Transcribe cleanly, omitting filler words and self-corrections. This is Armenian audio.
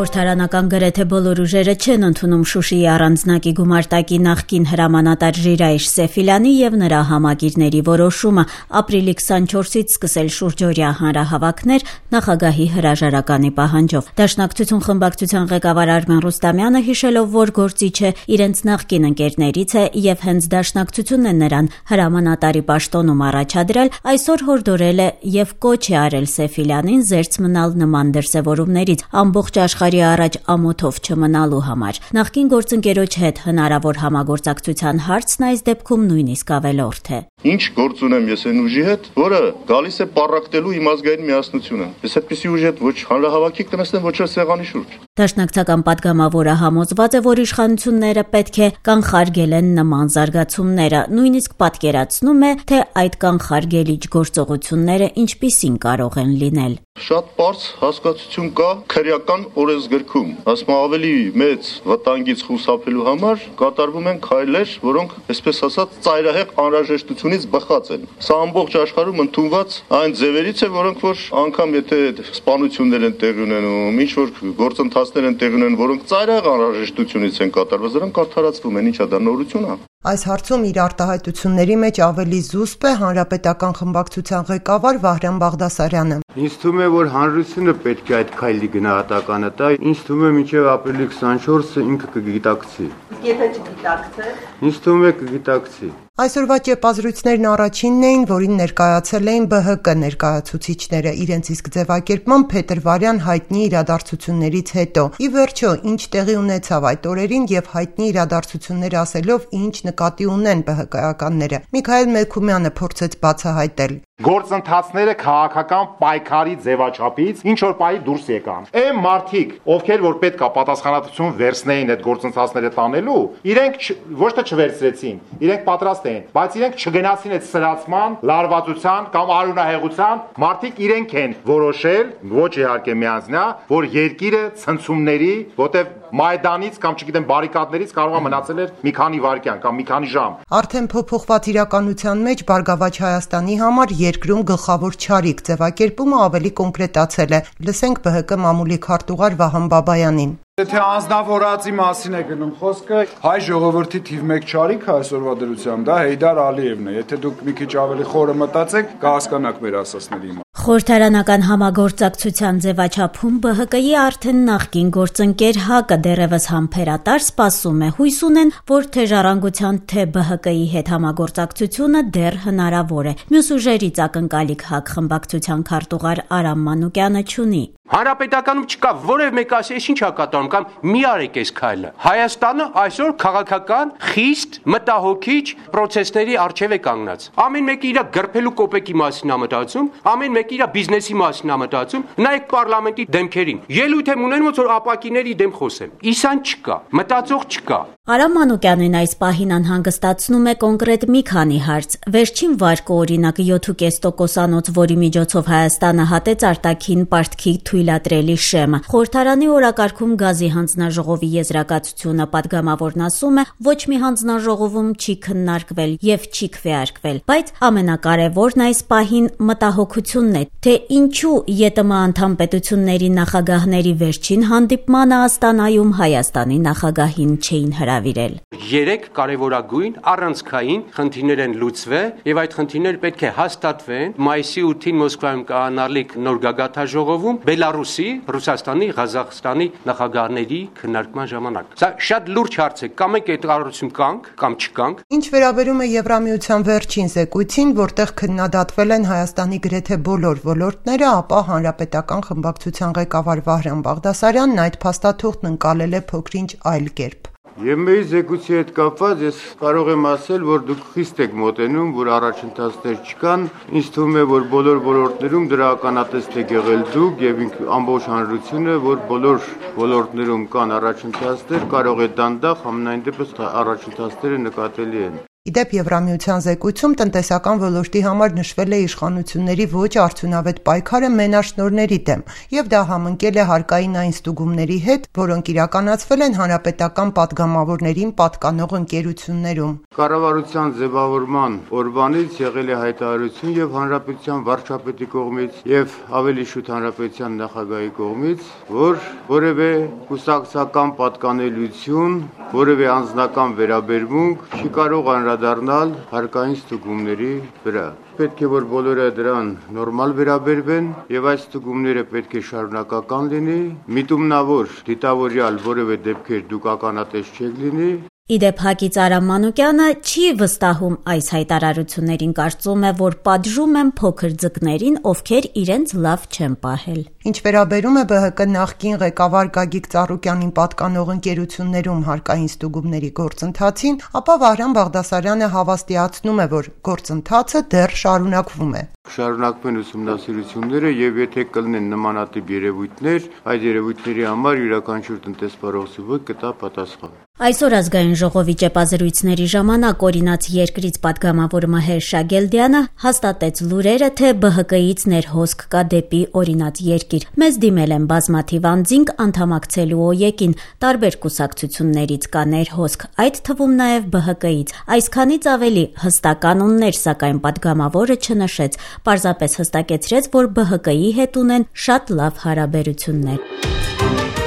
Խորհրդարանական գրեթե բոլոր ուժերը չեն ընդունում Շուշիի առանձնակի գումարտակի նախկին հրամանատար Ժիրայր Սեֆիլյանի եւ նրա համագիրների որոշումը ապրիլի 24-ից սկսել շուրջօրյա հանրահավաքներ նախագահի հրաժարականի պահանջով։ Դաշնակցություն խմբակցության ղեկավար Արմեն Ռուստամյանը հիշելով, որ գործիչը իրենց նախկին ընկերներից է եւ հենց Դաշնակցությունն է նրան հրամանատարի պաշտոնում առաջադրել, այսօր հորդորել է եւ կոչ է արել Սեֆիլյանին զերծ մնալ նման դրսեւորումներից ամբողջ աշխարհի առաջ ամոթով չմնալու համար։ Նախկին գործընկերոջ հետ հնարավոր համագործակցության հարցն այս դեպքում նույնիսկ ավելորդ է։ Ինչ գործ ունեմ ես այն ուժի հետ, որը գալիս է պառակտելու իմ ազգային միասնությունը։ Ես այդպիսի ուժի հետ ոչ հանրահավաքի կնստեմ, ոչ էլ սեղանի շուրջ։ Դաշնակցական պատգամավորը համոզված է, որ իշխանությունները պետք է կանխարգելեն նման զարգացումները, նույնիսկ պատկերացնում է, թե այդ կանխարգելիչ գործողությունները ինչպիսին կարող են լինել։ Շատ པարզ հասկացություն կա քրեական օրենսգրքում, ասում ավելի մեծ վտանգից խուսափելու համար կատարվում են քայլեր, որոնք, այսպես ասած, ծայրահեղ անհրաժեշտությունից բխած են։ Սա ամբողջ աշխարհում ընդունված այն ձևերից է, որոնք որ անգամ եթե սպանություններ են տեղի ունենում, ինչ որ գործընթացներ են տեղի ունենում, որոնք ծայրահեղ անհրաժեշտությունից են կատարված, դրանք արդարացվում են, ինչա դա նորություն է։ Այս հարցում իր արտահայտությունների մեջ ավելի զուսպ է հանրապետական խմբակցության ղեկավար Վահրամ Բաղդասարյանը։ Ինձ թվում է, որ հանրությունը պետք է այդ քայլի գնահատականը տա։ Ինձ թվում է, մինչև ապրիլի 24-ը ինքը կգիտակցի։ Եթե չգիտակցե։ Ինձ թվում է կգիտակցի։ Այսօրվա ճեպազրույցներն առաջինն էին, որին ներկայացել էին ԲՀԿ ներկայացուցիչները իրենց իսկ ձևակերպման փետրվարյան հայտնի իրադարձություններից հետո։ Ի վերջո, ինչ տեղի ունեցավ այդ օրերին եւ հայտնի իրադարձություններ ասելով ինչ նկատի ունեն ԲՀԿ-ականները։ Միքայել Մելքումյանը փորձեց բացահայտել։ Գործընթացները քաղաքական պայքարի ձևաչափից ինչ որ պահի դուրս եկան։ Այն մարդիկ, ովքեր որ պետք է պատասխանատվություն վերցնեին այդ գործընթացները տանելու, իրենք ոչ թե չվերցրեցին, իրենք պատրաստ էին, բայց իրենք չգնացին այդ սրացման, լարվածության կամ արունահեղության, մարդիկ իրենք են որոշել, ոչ իհարկե միանձնյա, որ երկիրը ցնցումների, որտեվ Մայդանից կամ չգիտեմ բարիկադներից կարող է մնացել էր մի քանի վայրկյան կամ մի քանի ժամ։ Արդեն փոփոխված իրականության մեջ Բարգավաճ Հայաստանի համար երկրում գլխավոր չարիք ձևակերպումը ավելի կոնկրետացել է։ Լսենք ԲՀԿ մամուլի քարտուղար Վահան Բաբայանին։ Եթե անձնավորածի մասին է գնում խոսքը, հայ ժողովրդի թիվ 1 չարիքը այսօրվա դրությամբ դա Հեյդար Ալիևն է։ Եթե դուք մի քիչ ավելի խորը մտածեք, կհասկանաք մեր ասածների իմաստը։ Խորհրդարանական համագործակցության ձևաչափում ԲՀԿ-ի արդեն նախկին գործընկեր ՀԱԿ-ը դեռևս համբերատար սպասում է, հույս ունեն, որ թե Ժառանգության, թե ԲՀԿ-ի հետ համագործակցությունը դեռ հնարավոր է։ Մյուս ուժերից ակնկալիք ՀԱԿ խմբակցության քարտուղար Արամ Մանուկյանը չունի։ Հանրապետականում չկա որևէ մեկ ասի, ինչ է կատարում կամ մի արեք այս քայլը։ Հայաստանը այսօր քաղաքական խիստ մտահոգիչ process-ների առջև է կանգնած։ Ամեն մեկը իր գրփելու կոպեկի մասին է մտածում, ամեն մեկը իր բիզնեսի մասին է մտածում։ Նայեք պարլամենտի դեմքերին։ Ելույթ եմ ունենում, որ ապակիների դեմ խոսեմ։ Իսան չկա, մտածող չկա։ Արամ Մանուկյանին այս պահին անհանգստացնում է կոնկրետ մի քանի հարց։ Վերջին վարկը օրինակ 7.5%-անոց, որի միջոցով Հայաստանը հատեց արտաքին պարտքի թույլատրելի շեմը։ Խորհրդարանի օրակարգում գազի հանձնաժողովի եզրակացությունը պատգամավորն ասում է, ոչ մի հանձնաժողովում չի քննարկվել եւ չի քվեարկվել, բայց ամենակարևորն այս պահին մտահոգությունն է, թե ինչու ԵՏՄ անդամ պետությունների նախագահների վերջին հանդիպմանը Աստանայում Հայաստանի նախագահին չէին հրավիրել։ 3 կարևորագույն առանցքային խնդիրներ են լուծվել եւ այդ խնդիրները պետք է հաստատվեն մայիսի 8-ին Մոսկվայում կայանալիք նոր գագաթաժողովում Բելարուսի, Ռուսաստանի, Ղազախստանի նախագահների քննարկման ժամանակ։ Սա շատ լուրջ հարց է, կամ եք այդ կառավարություն կանք, կամ չկանք։ Ինչ վերաբերում է Եվրամիության վերջին զեկույցին, որտեղ քննադատվել են Հայաստանի գրեթե բոլոր ոլորտները, ապա հանրապետական խմբակցության ղեկավար Վահրամ Բաղդասարյանն այդ փաստաթուղթն ընկալել է փոքրինչ այլ կերպ։ Եվ մեր զեկույցի հետ կապված ես կարող եմ ասել, որ դուք խիստ եք մոտենում, որ առաջընթացներ չկան։ Ինձ թվում է, որ բոլոր ոլորտներում դրա ականատես եք եղել դուք եւ ամբողջ հանրությունը, որ բոլոր ոլորտներում կան առաջընթացներ, կարող է դանդաղ, համենայն դեպս առաջընթացները նկատելի են։ Իդեպ Եվրամիության զեկույցում տնտեսական ոլորտի համար նշվել է իշխանությունների ոչ արդյունավետ պայքարը մենաշնորհների դեմ, եւ դա համընկել է հարկային այն ստուգումների հետ, որոնք իրականացվել են հանրապետական պատգամավորներին պատկանող ընկերություններում։ Կառավարության ձևավորման օրվանից եղել է հայտարարություն եւ հանրապետության վարչապետի կողմից եւ ավելի շուտ հանրապետության նախագահի կողմից, որ որևէ կուսակցական պատկանելիություն, որևէ անձնական վերաբերմունք չի կարող անդրադառնալ հարկային ստուգումների վրա։ Պետք է որ բոլորը դրան նորմալ վերաբերվեն եւ այս ստուգումները պետք է շարունակական լինի, միտումնավոր դիտավորյալ որևէ դեպքեր դուք ականատես չեք լինի։ Իդեպ Հակից Արամ Մանուկյանը չի վստահում այս հայտարարություններին, կարծում է, որ պատժում են փոքր ձկներին, ովքեր իրենց լավ չեն պահել։ Ինչ վերաբերում է ԲՀԿ նախկին ղեկավար Գագիկ Ծառուկյանին պատկանող ընկերություններում հարկային ստուգումների գործընթացին, ապա Վահրամ Բաղդասարյանը հավաստիացնում է, որ գործընթացը դեռ շարունակվում է։ Շարունակվեն ուսումնասիրությունները եւ եթե կլինեն նմանատիպ երևույթներ, այդ երևույթների համար յուրաքանչյուր տնտեսվարող սուբյեկտ կտա պատասխան։ Այսօր ազգային ժողովի ճեպազրույցների ժամանակ օրինաց երկրից պատգամավոր Մհեր Շագելդյանը հաստատեց լուրերը, թե ԲՀԿ-ից ներհոսք կա դեպի օրինաց երկիր։ Մեզ դիմել են բազմաթիվ անձինք անդամակցելու ՕԵԿ-ին, տարբեր կուսակցություններից կա ներհոսք, այդ թվում նաև ԲՀԿ-ից։ Այսքանից ավելի հստականուններ, սակայն պատգամավորը չնշեց, պարզապես հստակեցրեց, որ ԲՀԿ-ի հետ ունեն շատ լավ հարաբերություններ։